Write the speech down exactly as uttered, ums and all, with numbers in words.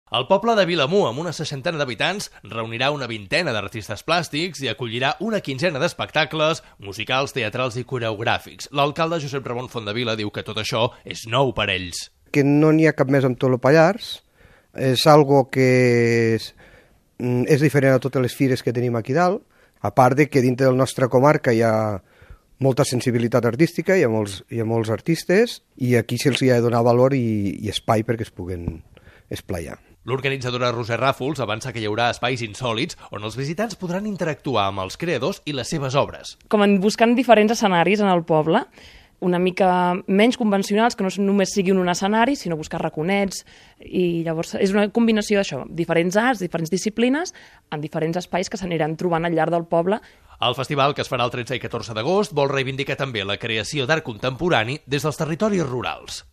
El poble de Vilamur, amb una seixantena d'habitants, reunirà una vintena d'artistes plàstics i acollirà una quinzena d'espectacles musicals, teatrals i coreogràfics. L'alcalde Josep Ramon Fontdevila diu que tot això és nou per ells. Que no n'hi ha cap més amb tot el Pallars, és algo que és, és diferent a totes les fires que tenim aquí dalt, a part de que dintre de la nostra comarca hi ha molta sensibilitat artística, hi ha molts, hi ha molts artistes, i aquí se'ls ha de donar valor i, i espai perquè es puguen esplaiar. L'organitzadora Roser Ràfols avança que hi haurà espais insòlits on els visitants podran interactuar amb els creadors i les seves obres. Com en buscant diferents escenaris en el poble, una mica menys convencionals, que no només siguin un escenari, sinó buscar raconets, i llavors és una combinació d'això, diferents arts, diferents disciplines, en diferents espais que s'aniran trobant al llarg del poble. El festival, que es farà el tretze i catorze d'agost, vol reivindicar també la creació d'art contemporani des dels territoris rurals.